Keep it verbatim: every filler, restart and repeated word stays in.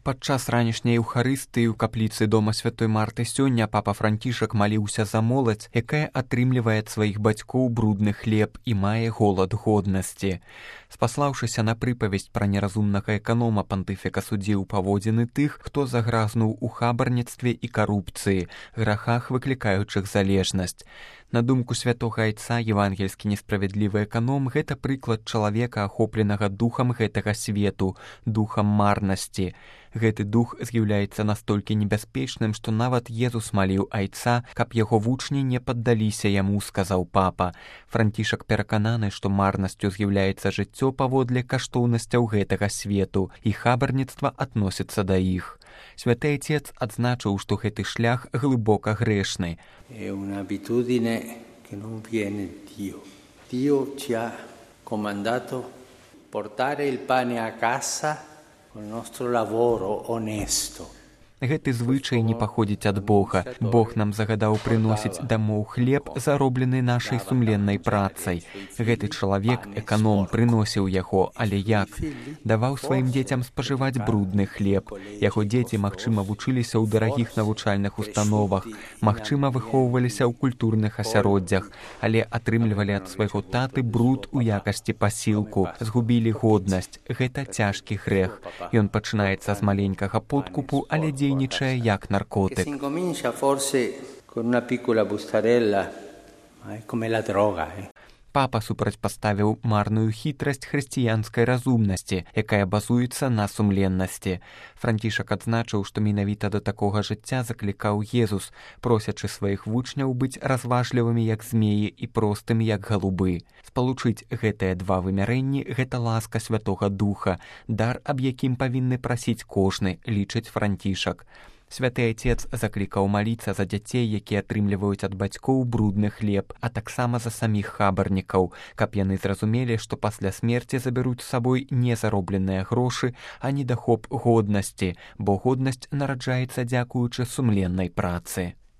Падчас ранішняй еўхарыстыі ў капліцы дома святой Марты сёння папа Францішак маліўся за моладзь, якая атрымлівае ад сваіх бацькоў брудны хлеб і мае голад годнасці. Спаслаўшыся на прыпавесць пра неразумнага эканома, пантыфіка судзіў паводзіны тых, хто загразнуў у хабарніцтве і карупцыі, грахах, выклікаючых залежнасць. На думку святога айца, евангельскі несправядлівы эканом – гэта прыклад чалавека, ахопленага духам гэтага свету, духам марнасці. Гэты дух з'яўляецца настолькі небяспечным, што нават Езус маліў айца, каб яго вучні не паддаліся яму, сказаў папа. Францішак перакананы, што марнасцю з'яўляецца жыццё паводле каштоўнасцяў гэтага свету, і хабарніцтва адносіцца да іх. Святы Отец адзначыў, што гэты шлях глыбока грэшны. È un'abitudine che non viene da Dio. Dio ci ha comandato portare il pane a casa con il nostro lavoro onesto. Гэты звычай не паходзіць ад Бога. Бог нам загадаў прыносіць дамоў хлеб, зароблены нашай сумленнай працай. Гэты чалавек, эканом, прыносіў яго, але як? Даваў сваім дзецям спажываць брудны хлеб. Яго дзеці, магчыма, вучыліся ў дарагіх навучальных установах, магчыма, выхоўваліся ў культурных асяроддзях, але атрымлівалі ад свайго таты бруд у якасці пасілку, згубілі годнасць. Гэта цяжкі грэх. Ён пачынаецца з маленькага подкупу, але дзейнічае як наркотик. Si incomincia forse con una piccola bustarella, ma è come la droga. Eh. Папа супрацьпаставіў марную хітрасць хрысціянскай разумнасці, якая базуецца на сумленнасці. Францішак адзначыў, што менавіта да такога жыцця заклікаў Езус, просячы сваіх вучняў быць разважлівымі як змеі і простымі як галубы. Спалучыць гэтыя два вымярэнні – гэта ласка Святога Духа, дар, аб якім павінны прасіць кожны, лічыць Францішак. Святы Отец заклікаў маліцца за дзяцей, якія атрымліваюць ад бацькоў брудны хлеб, а таксама за саміх хабарнікаў, каб яны зразумелі, што пасля смерці забяруць з сабой не заробленыя грошы, а недахоп годнасці, бо годнасць нараджаецца дзякуючы сумленнай працы.